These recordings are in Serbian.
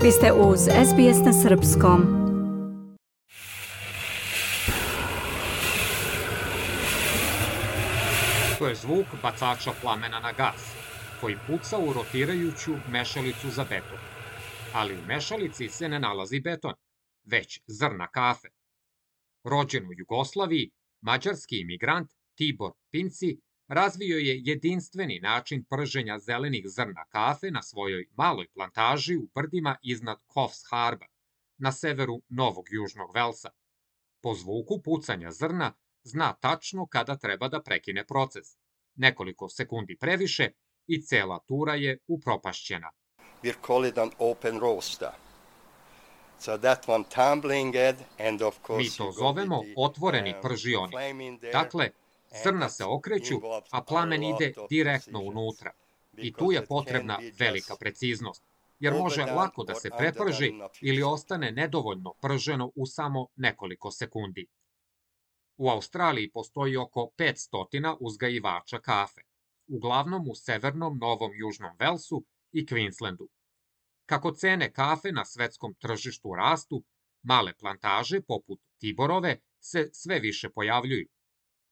Vi ste uz SBS na Srpskom. To je zvuk bacača plamena na gas, koji puca u rotirajuću mešalicu za beton. Ali u mešalici se ne nalazi beton, već zrna kafe. Rođen u Jugoslaviji, mađarski imigrant Tibor Pinci razvio je jedinstveni način prženja zelenih zrna kafe na svojoj maloj plantaži u brdima iznad Coffs Harba, na severu Novog Južnog Velsa. Po zvuku pucanja zrna zna tačno kada treba da prekine proces. Nekoliko sekundi previše i cela tura je upropašćena. We call it an open roaster. So that one tumbling head and of course Mi to zovemo otvoreni pržionik. Dakle, zrna se okreću, a plamen ide direktno unutra. I tu je potrebna velika preciznost, jer može lako da se preprži ili ostane nedovoljno prženo u samo nekoliko sekundi. U Australiji postoji oko 500 uzgajivača kafe, uglavnom u severnom Novom Južnom Velsu i Queenslandu. Kako cene kafe na svetskom tržištu rastu, male plantaže poput Tiborove se sve više pojavljuju.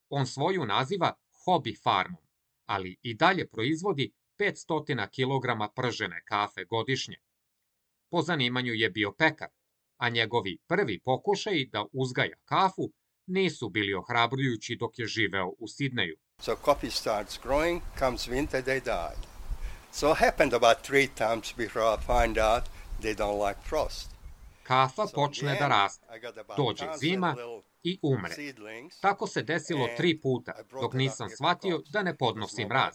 On svoju naziva hobby farmom, ali i dalje proizvodi 500 kg pržene kafe godišnje. Po zanimanju je bio pekar, a njegovi prvi pokušaji da uzgaja kafu nisu bili ohrabrujući dok je živeo u Sidneju. So coffee starts growing, comes winter, they die. So it happened about 3 times before I find out they don't like frost. Kafa počne da raste, dođe zima i umre. Tako se desilo 3 puta, dok nisam shvatio da ne podnosi mraz.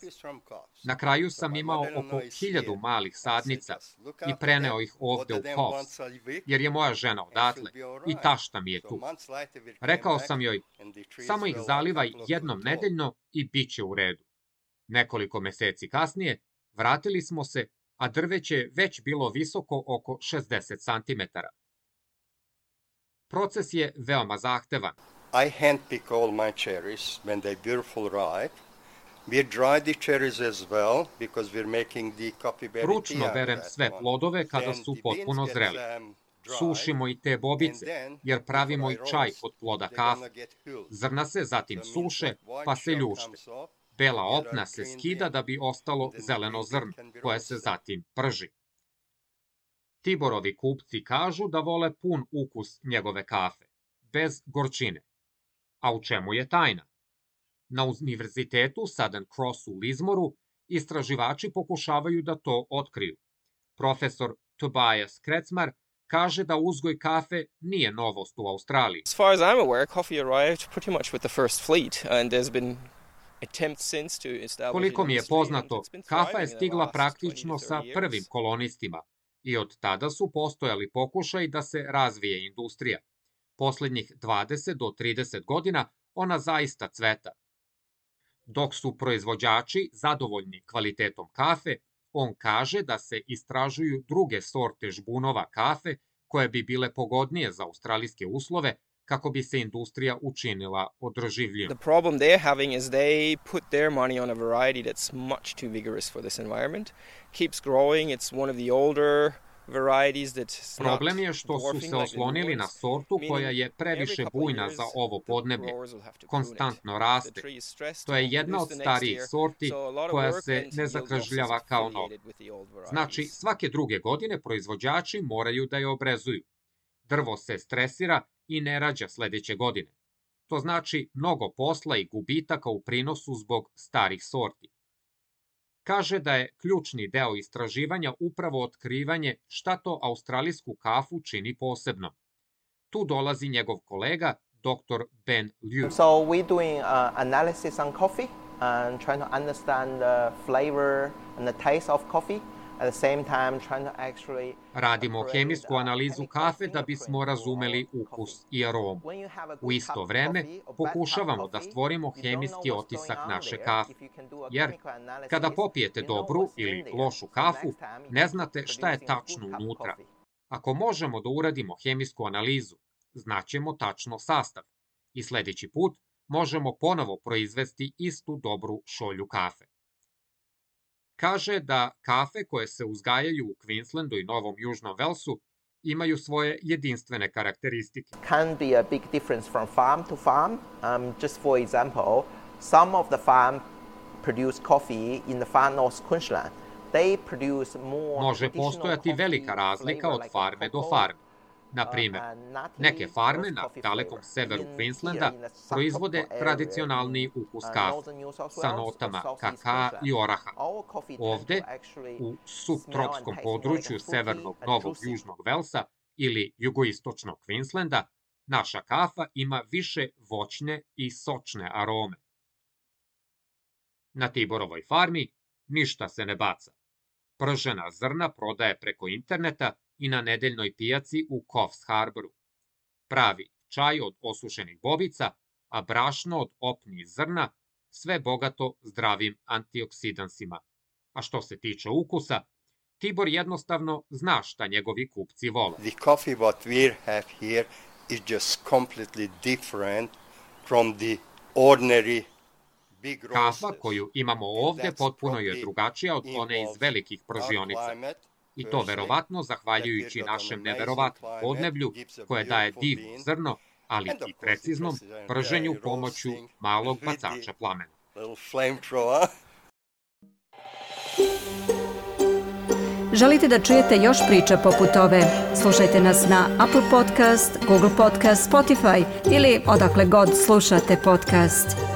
Na kraju sam imao oko 1000 malih sadnica i preneo ih ovde u Coffs, jer je moja žena odatle i tašta mi je tu. Rekao sam joj, samo ih zalivaj jednom nedeljno i bit će u redu. Nekoliko meseci kasnije vratili smo se, a drveće je već bilo visoko oko 60 cm. Proces je veoma zahtevan. I handpick all my cherries when they're beautiful ripe. We dry the cherries as well because we're making the coffee berry tea. Ručno berem sve plodove kada su potpuno zreli. Sušimo i te bobice, jer pravimo i čaj od ploda kafe. Zrna se zatim suše, pa se ljušte. Bela opna se skida da bi ostalo zeleno zrno, koje se zatim prži. Tiborovi kupci kažu da vole pun ukus njegove kafe, bez gorčine. A u čemu je tajna? Na univerzitetu Southern Cross u Lismoru istraživači pokušavaju da to otkriju. Profesor Tobias Kretzmar kaže da uzgoj kafe nije novost u Australiji. As far as I'm aware, coffee arrived pretty much with the first fleet and there's been Koliko mi je poznato, kafa je stigla praktično sa prvim kolonistima i od tada su postojali pokušaj da se razvije industrija. Poslednjih 20 do 30 godina ona zaista cveta. Dok su proizvođači zadovoljni kvalitetom kafe, on kaže da se istražuju druge sorte žbunova kafe koje bi bile pogodnije za australijske uslove, kako bi se industrija učinila održivljivim. The problem they're having is they put their money on a variety that's much too vigorous for this environment. Keeps growing, it's one of the older varieties that's not. Problem je što su se oslonili na sortu koja je previše bujna za ovo podneblje. Konstantno raste. To je jedna od starijih sorti koja se ne zakržljava kao nova. Znači, svake druge godine proizvođači moraju da je obrezuju. Drvo se stresira i ne rađa sledeće godine. To znači mnogo posla i gubitaka u prinosu zbog starih sorti. Kaže da je ključni deo istraživanja upravo otkrivanje šta to australijsku kafu čini posebnom. Tu dolazi njegov kolega, dr. Ben Liu. So we're doing analysis on coffee and trying to understand the flavor and the taste of coffee. Radimo hemijsku analizu kafe da bismo razumeli ukus i aromu. U isto vreme pokušavamo da stvorimo hemijski otisak naše kafe. Jer kada popijete dobru ili lošu kafu, ne znate šta je tačno unutra. Ako možemo da uradimo hemijsku analizu, znaćemo tačno sastav i sledeći put možemo ponovo proizvesti istu dobru šolju kafe. Kaže da kafe koje se uzgajaju u Queenslandu i Novom Južnom Velsu imaju svoje jedinstvene karakteristike. Can be a big difference from farm to farm. Just for example, some of the farm produce coffee in the far north Queensland. They produce more. Može postojati velika razlika od farme do farme. Na primjer, neke farme na dalekom severu Queenslanda proizvode tradicionalni ukus kafe sa notama kakaa i oraha. Ovde, u subtropskom području severnog Novog Južnog Velsa ili jugoistočnog Queenslanda, naša kafa ima više voćne i sočne arome. Na Tiborovoj farmi ništa se ne baca. Pržena zrna prodaje preko interneta i na nedeljnoj pijaci u Coffs Harboru. Pravi čaj od osušenih bobica, a brašno od opnih zrna, sve bogato zdravim antioksidansima. A što se tiče ukusa, Tibor jednostavno zna šta njegovi kupci vole. The coffee what we have here is just completely different from the ordinary big roasters. Kafa koju imamo ovde potpuno je drugačija od one iz velikih pržionica. I to verovatno zahvaljujući našem neverovatnom podneblju koje daje divno zrno, ali i preciznom prženju pomoću malog bacača plamena. Želite da čujete još priča poput ove? Slušajte nas na Apple Podcast, Google Podcast, Spotify ili odakle god slušate podcast.